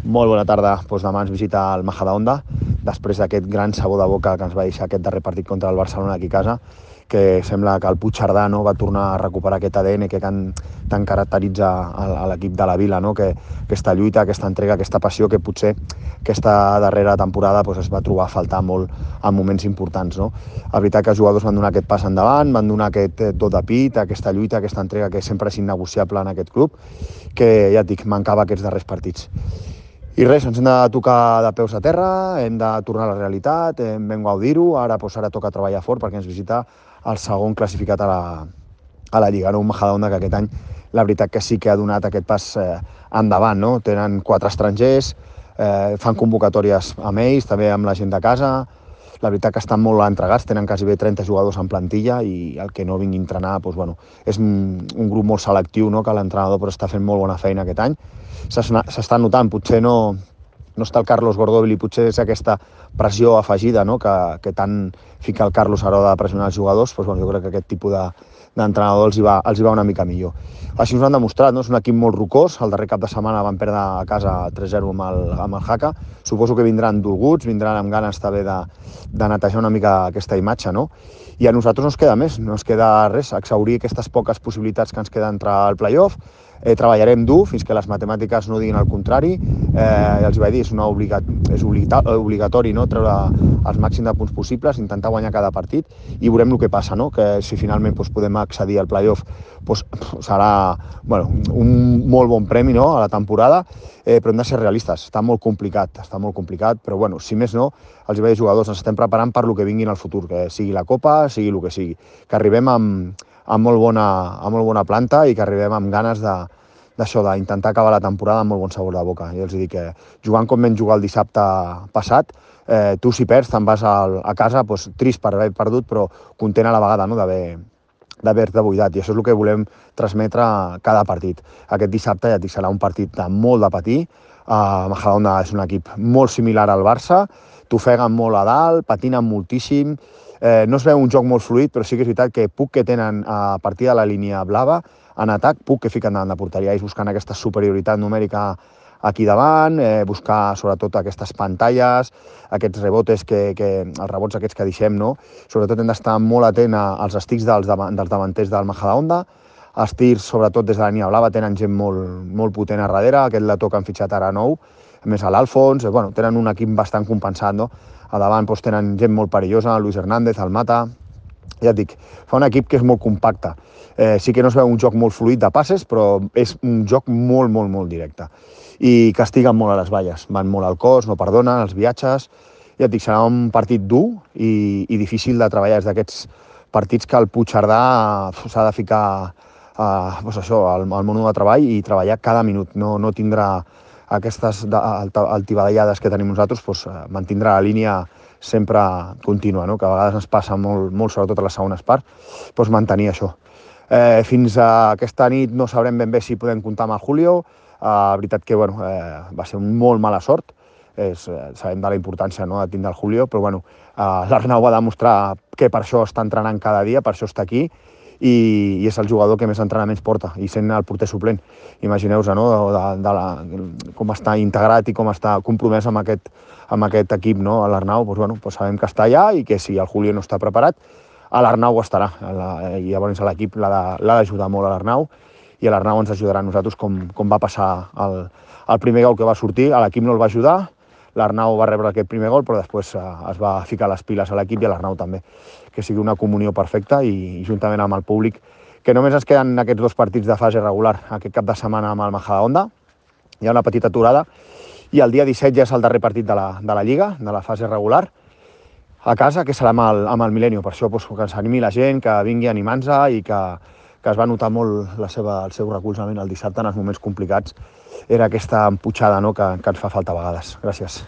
Molt bona tarda. Demà ens visita el Majadahonda, després d'aquest gran sabor de boca que ens va deixar aquest darrer partit contra el Barcelona aquí a casa, que sembla que el Puigcerdà va tornar a recuperar aquest ADN que tant caracteritza a l'equip de la Vila, aquesta lluita, aquesta entrega, aquesta passió que potser aquesta darrera temporada es va trobar a faltar molt en moments importants. La veritat que els jugadors van donar aquest pas endavant, van donar aquest do de pit, aquesta lluita, aquesta entrega que sempre és innegociable en aquest club, que ja et dic, mancava aquests darrers partits. I res, ens hem de tocar de peus a terra, hem de tornar a la realitat, vam gaudir-ho, ara toca treballar fort perquè ens visita el segon classificat a la Lliga, un Majadahonda que aquest any la veritat que sí que ha donat aquest pas endavant. Tenen 4 estrangers, fan convocatòries amb ells, també amb la gent de casa, la veritat que estan molt entregats, tenen quasi bé 30 jugadors en plantilla i el que no vingui a entrenar és un grup molt selectiu, que l'entrenador està fent molt bona feina aquest any. S'està notant, potser no està el Carlos Gordóvil i potser és aquesta pressió afegida que tant fica el Carlos a l'hora de pressionar els jugadors, jo crec que aquest tipus d'entrenador els hi va una mica millor. Així ens ho han demostrat, és un equip molt rocós, el darrer cap de setmana van perdre a casa 3-0 amb el Jaca, suposo que vindran dolguts, vindran amb ganes també de netejar una mica aquesta imatge, i a nosaltres no ens queda més, no ens queda res, exhaurir aquestes poques possibilitats que ens queden entrar al playoff. Treballarem dur fins que les matemàtiques no diguin el contrari. Els vaig dir, és obligatori treure els màxims de punts possibles, intentar guanyar cada partit i veurem el que passa, que si finalment podem accedir al playoff serà un molt bon premi a la temporada, però hem de ser realistes, està molt complicat, però si més no, els vaig dir jugadors, ens estem preparant per el que vingui en el futur, que sigui la Copa, sigui el que sigui, que arribem amb molt bona planta i que arribem amb ganes d'intentar acabar la temporada amb molt bon sabor de boca. Jo els dic que jugant com vam jugar el dissabte passat, tu si perds te'n vas a casa trist per haver perdut, però content a la vegada d'haver-te buidat, i això és el que volem transmetre cada partit. Aquest dissabte ja et dic, serà un partit de molt de patir. Majadahonda és un equip molt similar al Barça, t'ofeguen molt a dalt, patinen moltíssim, no es veu un joc molt fluid, però sí que és veritat que puc que tenen a partir de la línia blava, en atac, puc que fiquen davant de porteria, ells buscant aquesta superioritat numèrica aquí davant, buscar sobretot aquestes pantalles, aquests rebotes, els rebots aquests que deixem, sobretot hem d'estar molt atent als estics dels davanters del Majadahonda, els tirs, sobretot des de la línia blava, tenen gent molt potent a darrere, aquest letó que han fitxat ara nou, a més a l'Alfons, tenen un equip bastant compensat, a davant tenen gent molt perillosa, Luis Hernández, el Mata, ja et dic, fa un equip que és molt compacte. Sí que no es veu un joc molt fluid de passes, però és un joc molt directe. I castiguen molt a les valles, van molt al cos, no perdonen, els viatges. Ja et dic, serà un partit dur i difícil de treballar. És d'aquests partits que el Puigcerdà s'ha de ficar al món de treball i treballar cada minut. No tindrà aquestes altibadallades que tenim nosaltres, mantindrà la línia sempre contínua, que a vegades ens passa molt sobretot a les segones parts, mantenir això. Fins a aquesta nit no sabrem ben bé si podem comptar amb el Julio. La veritat que va ser molt mala sort, sabem de la importància de tindre el Julio, però l'Arnau va demostrar que per això està entrenant cada dia, per això està aquí, i és el jugador que més entrenaments porta, i sent el porter suplent. Imagineu-vos com està integrat i com està compromès amb aquest equip, l'Arnau, sabem que està allà i que si el Julio no està preparat, l'Arnau estarà, i llavors l'equip l'ha d'ajudar molt a l'Arnau, i l'Arnau ens ajudarà a nosaltres com va passar el primer gol que va sortir, l'equip no el va ajudar, l'Arnau va rebre aquest primer gol, però després es va ficar les piles a l'equip i a l'Arnau també, que sigui una comunió perfecta i juntament amb el públic, que només ens queden aquests 2 partits de fase regular, aquest cap de setmana amb el Majadahonda, hi ha una petita aturada, i el dia 17 ja és el darrer partit de la Lliga, de la fase regular, a casa, que serà amb el Milenio. Per això que s'animi la gent, que vingui animant-se i que es va notar molt el seu recolzament el dissabte en els moments complicats. Era aquesta emputxada que ens fa falta a vegades. Gràcies.